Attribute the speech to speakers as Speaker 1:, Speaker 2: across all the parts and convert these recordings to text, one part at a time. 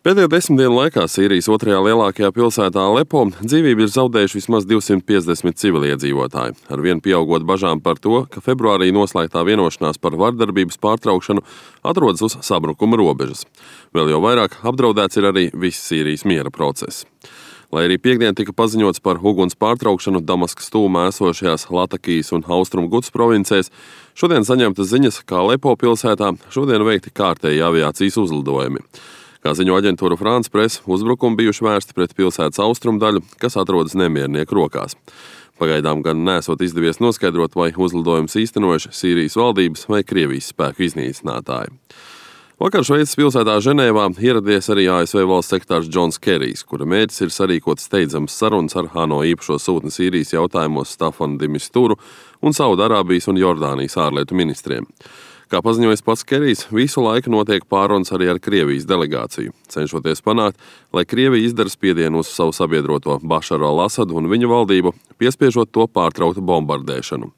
Speaker 1: Pēdējo 10 dienu laikā Sīrijas otrajā lielākajā pilsētā Alepo dzīvību ir zaudējuši vismaz 250 civiliedzīvotāji, arvien pieaugot bažām par to, ka februārī noslēgtā vienošanās par vardarbības pārtraukšanu atrodas uz sabrukuma robežas. Vēl jau vairāk apdraudēts ir arī viss Sīrijas miera process. Lai arī piekdien tika paziņots par uguns pārtraukšanu Damaskas tuvumā esošajās Latakijas un Austrumu Gutas provincēs, šodien saņemtas ziņas, ka Alepo pilsētā šodien veikti kārtēji aviācijas uzlidojumi. Kā ziņo aģentūra France Press, uzbrukumi bijuši vērsti pret pilsētas austrumu daļu, kas atrodas nemiernieku rokās. Pagaidām gan nesot izdevies noskaidrot, vai uzlidojumus īstenojuši Sīrijas valdības vai Krievijas spēku iznīcinātāji. Vakar Šveices pilsētā Ženēvā ieradies arī ASV valsts sekretārs Džons Kerijs, kura mērķis ir sarīkot steidzamas sarunas ar ANO īpašo sūtni Sīrijas jautājumos Stafanu de Misturu un Saudarābijas un Jordānijas ārlietu ministriem. Kā paziņojis pats Kerijs, visu laiku notiek pārunas arī ar Krievijas delegāciju, cenšoties panākt, lai Krievija izdara spiedienu uz savu sabiedroto Bašaru al-Asadu un viņa valdību, piespiežot to pārtraukt bombardēšanu.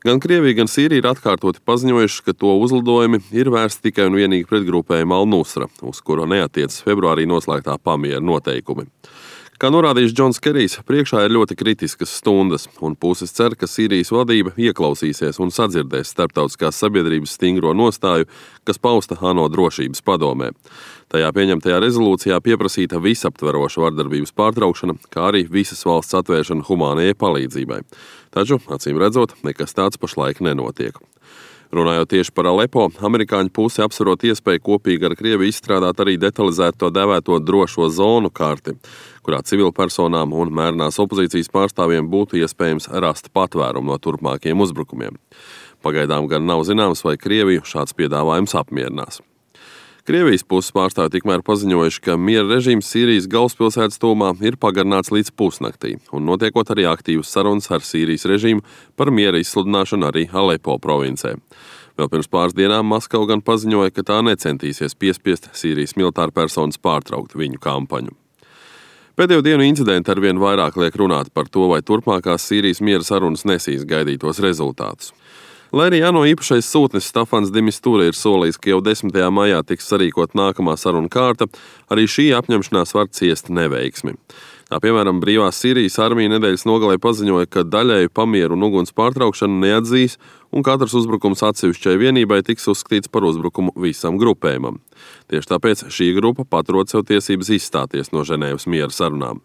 Speaker 1: Gan Krievija, gan Sīrija ir atkārtoti paziņojuši, ka to uzlidojumi ir vērsti tikai un vienīgi pret grupējumu Al-Nusra, uz kuru neatiecas februārī noslēgtā pamiera noteikumi. Kā norādījis Džons Kerijs, priekšā ir ļoti kritiskas stundas, un puses cer, ka Sīrijas valdība ieklausīsies un sadzirdēs starptautiskās sabiedrības stingro nostāju, kas pausta ANO drošības padomē. Tajā pieņemtajā rezolūcijā pieprasīta visaptveroša vardarbības pārtraukšana, kā arī visas valsts atvēršana humānajai palīdzībai. Taču, acīm redzot, nekas tāds pašlaik nenotiek. Runājot tieši par Alepo, amerikāņu puse apsverot iespēju kopīgi ar Krieviju izstrādāt arī detalizēto dēvēto drošo zonu karti, kurā civilpersonām un mērenās opozīcijas pārstāvjiem būtu iespējams rast patvērumu no turpmākiem uzbrukumiem. Pagaidām gan nav zināms, vai Krieviju šāds piedāvājums apmierinās. Krievijas puses pārstāvji tikmēr paziņojuši, ka miera režīms Sīrijas galvaspilsētas tuvumā ir pagarināts līdz pusnaktī, un notiekot arī aktīvas sarunas ar Sīrijas režīmu par miera izsludināšanu arī Alepo provincē. Vēl pirms pāris dienām Maskava gan paziņoja, ka tā necentīsies piespiest Sīrijas militāru personas pārtraukt viņu kampaņu. Pēdējo dienu incidenti arvien vairāk liek runāt par to, vai turpmākās Sīrijas miera sarunas nesīs gaidītos rezultātus. Lai arī ANO īpašais sūtnis Stafans de Mistura ir solījis, ka jau 10. maijā tiks sarīkot nākamā saruna kārta, arī šī apņemšanās var ciest neveiksmi. Tā piemēram, brīvās Sīrijas armija nedēļas nogalē paziņoja, ka daļēju pamieru un uguns pārtraukšanu neatzīs, un katrs uzbrukums atsevišķai vienībai tiks uzskatīts par uzbrukumu visam grupējumam. Tieši tāpēc šī grupa paturot sev tiesības izstāties no Ženēvas miera sarunām.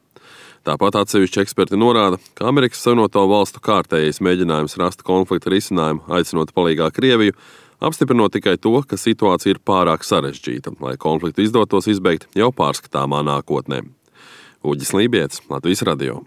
Speaker 1: Tāpat atsevišķi eksperti norāda, ka Amerikas Savienoto Valstu kārtējais mēģinājums rast konflikta risinājumu, aicinot palīgā Krieviju, apstiprinot tikai to, ka situācija ir pārāk sarežģīta, lai konfliktu izdotos izbeigt jau pārskatāmā nākotnē. Uģis Lībietis, Latvijas radio.